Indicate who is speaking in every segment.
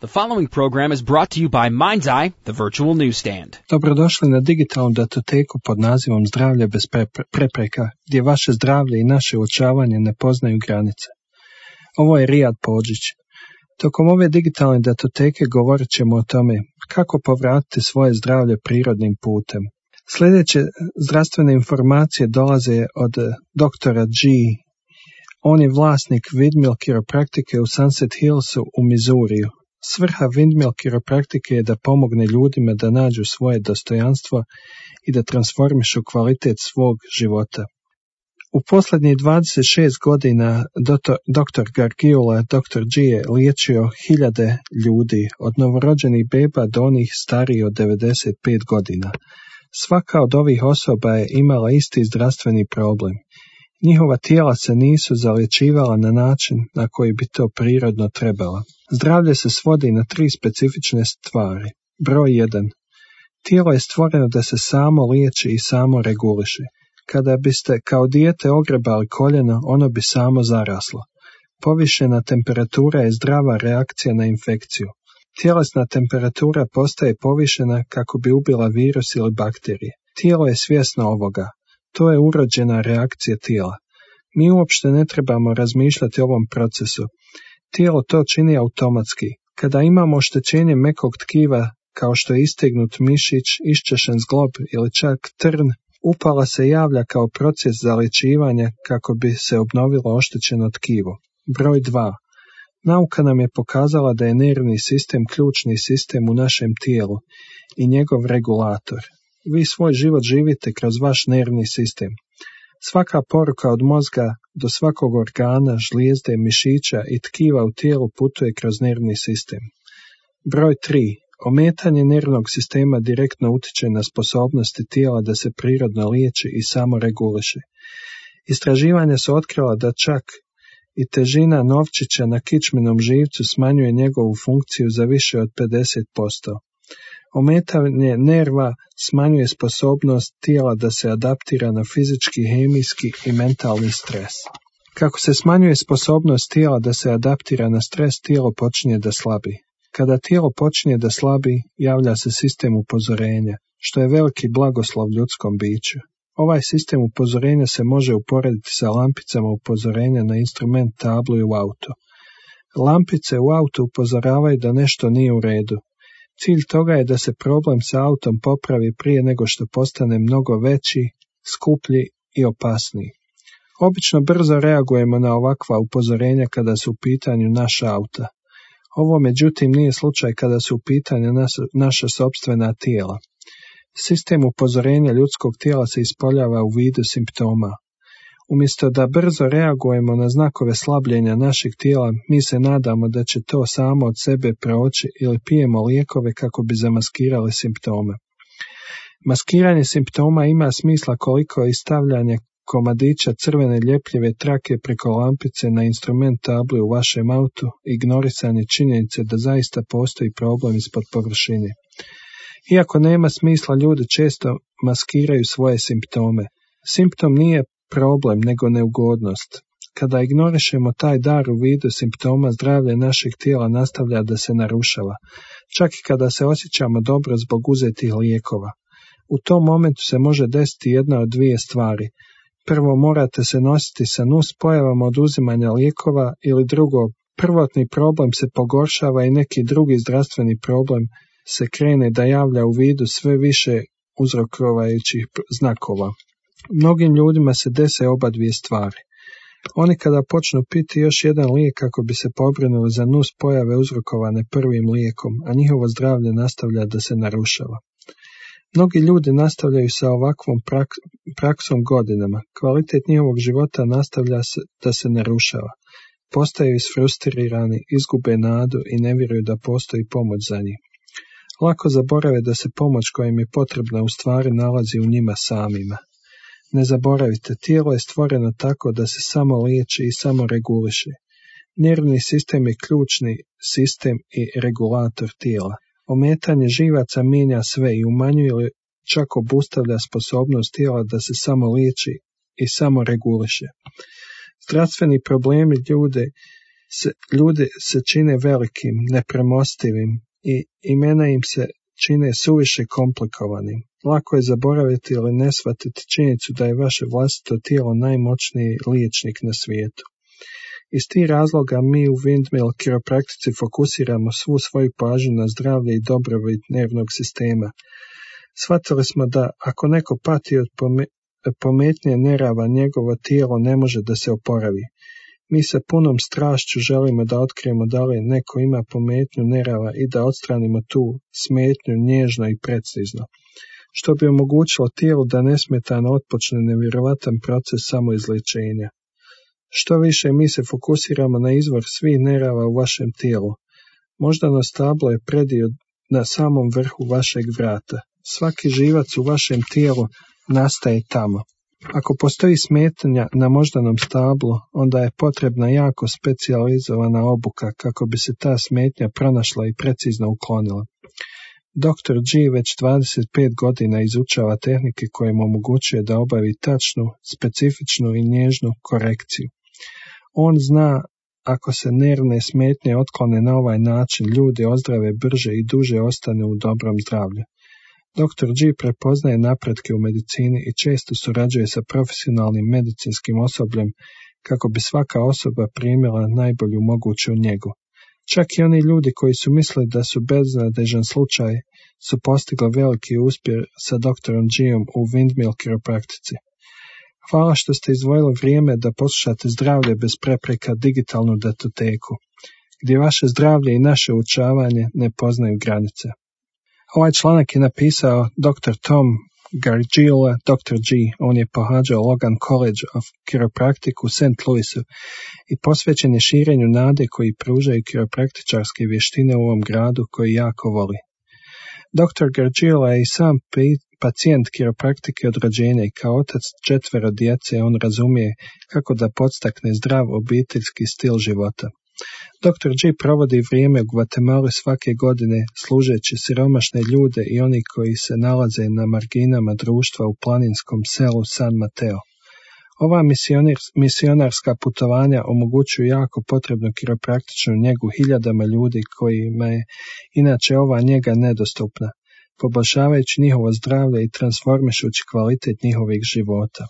Speaker 1: The following program is brought to you by Mind's Eye, the virtual newsstand.
Speaker 2: Dobrodošli na digitalnu datoteku pod nazivom Zdravlje bez prepreka, gdje vaše zdravlje i naše uočavanje ne poznaju granice. Ovo je Rijad Podžić. Tokom ove digitalne datoteke govorit ćemo o tome kako povratiti svoje zdravlje prirodnim putem. Sljedeće zdravstvene informacije dolaze od doktora G. On je vlasnik Windmill Kiropraktike u Sunset Hillsu u Missouriju. Svrha Windmill Kiropraktike je da pomogne ljudima da nađu svoje dostojanstvo i da transformišu kvalitet svog života. U posljednjih 26 godina dr. Gargiula, dr. G je liječio hiljade ljudi, od novorođenih beba do onih stariji od 95 godina. Svaka od ovih osoba je imala isti zdravstveni problem. Njihova tijela se nisu zaliječivala na način na koji bi to prirodno trebala. Zdravlje se svodi na 3 specifične stvari. Broj 1. Tijelo je stvoreno da se samo liječi i samo reguliše. Kada biste kao dijete ogrebali koljeno, ono bi samo zaraslo. Povišena temperatura je zdrava reakcija na infekciju. Tjelesna temperatura postaje povišena kako bi ubila virus ili bakterije. Tijelo je svjesno ovoga. To je urođena reakcija tijela. Mi uopšte ne trebamo razmišljati o ovom procesu. Tijelo to čini automatski. Kada imamo oštećenje mekog tkiva, kao što je istegnut mišić, iščešen zglob ili čak trn, upala se javlja kao proces zaliječivanja kako bi se obnovilo oštećeno tkivo. Broj 2. Nauka nam je pokazala da je nervni sistem ključni sistem u našem tijelu i njegov regulator. Vi svoj život živite kroz vaš nervni sistem. Svaka poruka od mozga do svakog organa, žlijezde, mišića i tkiva u tijelu putuje kroz nervni sistem. Broj 3. Ometanje nervnog sistema direktno utiče na sposobnosti tijela da se prirodno liječi i samo reguliše. Istraživanja su otkrila da čak i težina novčića na kičmenom živcu smanjuje njegovu funkciju za više od 50%. Ometanje nerva smanjuje sposobnost tijela da se adaptira na fizički, hemijski i mentalni stres. Kako se smanjuje sposobnost tijela da se adaptira na stres, tijelo počinje da slabi. Kada tijelo počinje da slabi, javlja se sistem upozorenja, što je veliki blagoslov ljudskom biću. Ovaj sistem upozorenja se može uporediti sa lampicama upozorenja na instrument tablu i u auto. Lampice u autu upozoravaju da nešto nije u redu. Cilj toga je da se problem sa autom popravi prije nego što postane mnogo veći, skuplji i opasniji. Obično brzo reagujemo na ovakva upozorenja kada su u pitanju naša auta. Ovo međutim nije slučaj kada su u pitanju naša sopstvena tijela. Sistem upozorenja ljudskog tijela se ispoljava u vidu simptoma. Umjesto da brzo reagujemo na znakove slabljenja našeg tijela, mi se nadamo da će to samo od sebe proći ili pijemo lijekove kako bi zamaskirali simptome. Maskiranje simptoma ima smisla koliko i stavljanje komadića crvene ljepljive trake preko lampice na instrument tabli u vašem autu, ignorisanje činjenice da zaista postoji problem ispod površine. Iako nema smisla, ljudi često maskiraju svoje simptome. Simptom nije problem, nego neugodnost. Kada ignorišemo taj dar u vidu simptoma, zdravlje našeg tijela nastavlja da se narušava, čak i kada se osjećamo dobro zbog uzetih lijekova. U tom momentu se može desiti jedna od 2 stvari. Prvo, morate se nositi sa nus pojavama oduzimanja lijekova, ili drugo, prvotni problem se pogoršava i neki drugi zdravstveni problem se krene da javlja u vidu sve više uzrokujućih znakova. Mnogim ljudima se dese oba 2 stvari. Oni kada počnu piti još jedan lijek kako bi se pobrinuli za nus pojave uzrokovane prvim lijekom, a njihovo zdravlje nastavlja da se narušava. Mnogi ljudi nastavljaju sa ovakvom praksom godinama. Kvalitet njihovog života nastavlja da se narušava. Postaju isfrustrirani, izgube nadu i ne vjeruju da postoji pomoć za njih. Lako zaborave da se pomoć koja im je potrebna u stvari nalazi u njima samima. Ne zaboravite, tijelo je stvoreno tako da se samo liječi i samo reguliše. Nervni sistem je ključni sistem i regulator tijela. Ometanje živaca mijenja sve i umanjuje ili čak obustavlja sposobnost tijela da se samo liječi i samo reguliše. Zdravstveni problemi ljude Ljudi se čine velikim, nepremostivim i imena im se čine suviše komplikovanim. Lako je zaboraviti ili ne shvatiti činjenicu da je vaše vlastito tijelo najmoćniji liječnik na svijetu. Iz tih razloga mi u Windmill kiropraktici fokusiramo svu svoju pažnju na zdravlje i dobrobit nervnog sistema. Shvatili smo da ako neko pati od pometnje nerava, njegovo tijelo ne može da se oporavi. Mi sa punom strašću želimo da otkrijemo da li neko ima pometnju nerava i da odstranimo tu smetnju nježno i precizno, što bi omogućilo tijelu da nesmetano otpočne nevjerovatan proces samoizlječenja. Što više mi se fokusiramo na izvor svih nerava u vašem tijelu. Moždano stablo je predio na samom vrhu vašeg vrata. Svaki živac u vašem tijelu nastaje tamo. Ako postoji smetnja na moždanom stablu, onda je potrebna jako specijalizovana obuka kako bi se ta smetnja pronašla i precizno uklonila. Dr. G već 25 godina izučava tehnike koje mu omogućuje da obavi tačnu, specifičnu i nježnu korekciju. On zna ako se nervne smetnje otklone na ovaj način, ljudi ozdrave brže i duže ostane u dobrom zdravlju. Dr. G prepoznaje napretke u medicini i često surađuje sa profesionalnim medicinskim osobljem kako bi svaka osoba primila najbolju moguću njegu. Čak i oni ljudi koji su mislili da su beznadežan slučaj su postigli veliki uspjeh sa Dr. G-om u Windmill kiropraktici. Hvala što ste izdvojili vrijeme da poslušate Zdravlje bez prepreka digitalnu datoteku, gdje vaše zdravlje i naše učavanje ne poznaju granice. Ovaj članak je napisao Dr. Tom Gargiulo, Dr. G. On je pohađao Logan College of Chiropractic u St. Louisu i posvećen je širenju nade koji pružaju kiropraktičarske vještine u ovom gradu koji jako voli. Dr. Gargiulo je i sam pacijent kiropraktike od rođenja i kao otac 4 djece on razumije kako da podstakne zdrav obiteljski stil života. Dr. G provodi vrijeme u Guatemala svake godine služeći siromašne ljude i oni koji se nalaze na marginama društva u planinskom selu San Mateo. Ova misionarska putovanja omogućuju jako potrebnu kiropraktičnu njegu hiljadama ljudi kojima je inače ova njega nedostupna, poboljšavajući njihovo zdravlje i transformišući kvalitet njihovih života.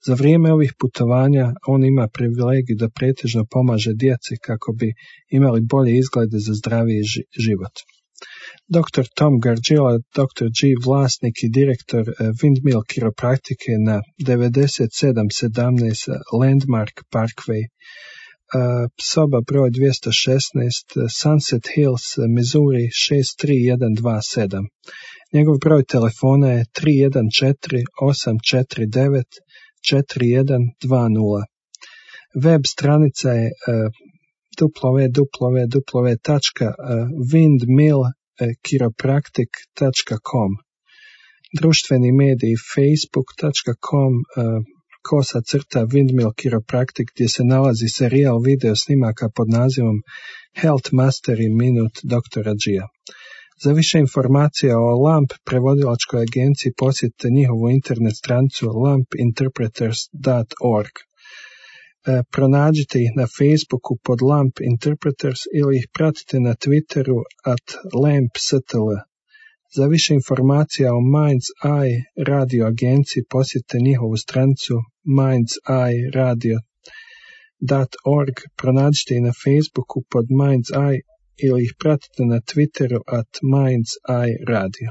Speaker 2: Za vrijeme ovih putovanja on ima privilegiju da pretežno pomaže djeci kako bi imali bolje izglede za zdraviji život. Dr. Tom Gargiulo, Dr. G, vlasnik i direktor Windmill kiropraktike na 9717 Landmark Parkway, soba broj 216, Sunset Hills, Missouri 63127. Njegov broj telefona je 314-849-4120. Web stranica je www.windmillchiropractic.com. Društveni mediji facebook.com /Windmill Chiropractic, gdje se nalazi serijal video snimaka pod nazivom Health Mastery Minute Dr. G-a. Za više informacija o LAMP prevodilačkoj agenciji posjetite njihovu internet stranicu lampinterpreters.org. Pronađite ih na Facebooku pod LAMP Interpreters ili ih pratite na Twitteru @lampstl. Za više informacija o Mind's Eye radio agenciji posjetite njihovu stranicu mindseyeradio.org. Pronađite ih na Facebooku pod Mind's Eye ili ih pratite na Twitteru @mindseyeradio.